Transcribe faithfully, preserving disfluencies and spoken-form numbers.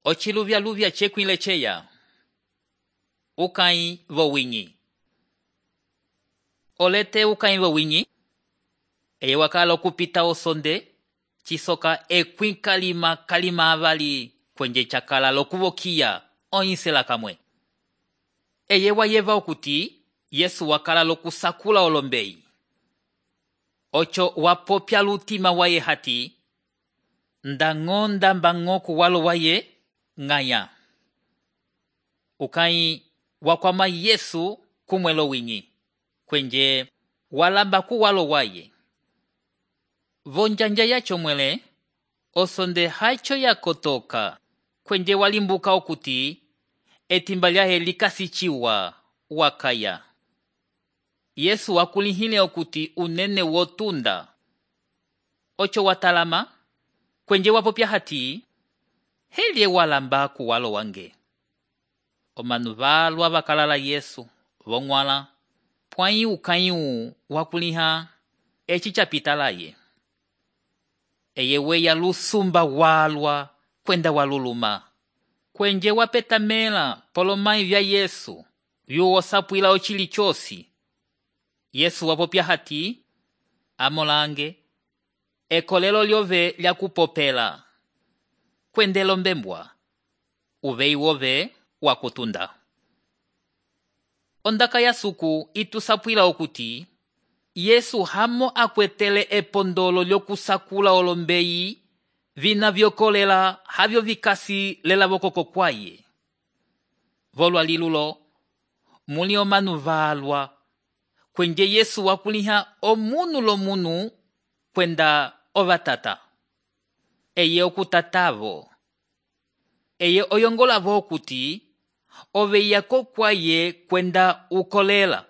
Ochiluvya-luvya chekwile cheya. Ukai vowinyi. Olete ukai vowinyi. Eye wakala okupita osonde. Chisoka ekwi kalima kalima avali kwenye chakala lokuvokia oinsela kamwe. Eye wayeva okuti Yesu wakala lokusakula olombeyi. Ocho wapopya lutima waye hati. Ndangonda mbangoku walo waye ngaya. Ukai wakwama Yesu kumwelo winyi. Kwenye walamba ku walo waye. Vonjanja yacho mwele. Osonde hacho yakotoka. Kwenye walimbuka okuti. Etimba lyahe likasichiwa wakaya. Yesu wakulihile okuti unene wotunda. Ocho watalama. Kwenye wapopya hati. Helye walamba ku walo wange. Omanu valwa vakalala Yesu. Vongwala. Pwai ukayu wakuliha. Echi chapitalaye. Eye weya lusumba walwa. Kwenda waluluma. Kwenye wapetamela polomai vya Yesu. Yuo sapwila ochili chosi. Yesu wapopya hati. Amolange. Ekolelo lyove lya kupopela. Kwendelo mbembwa. Uvei wove wakutunda. Ondaka ya suku itusapwila okuti. Yesu hamo akwetele epondolo lyokusakula olombeyi. Vina vyokolela havyo vikasi lela vokoko kwaye. Volwa lilulo. Muli omanu valwa. Kwenye Yesu wakuliha omunu lomunu. Kwenda ovatata. Eye okutatavo. Eye oyongola vokuti. Ove yako kwaye kwenda ukolela.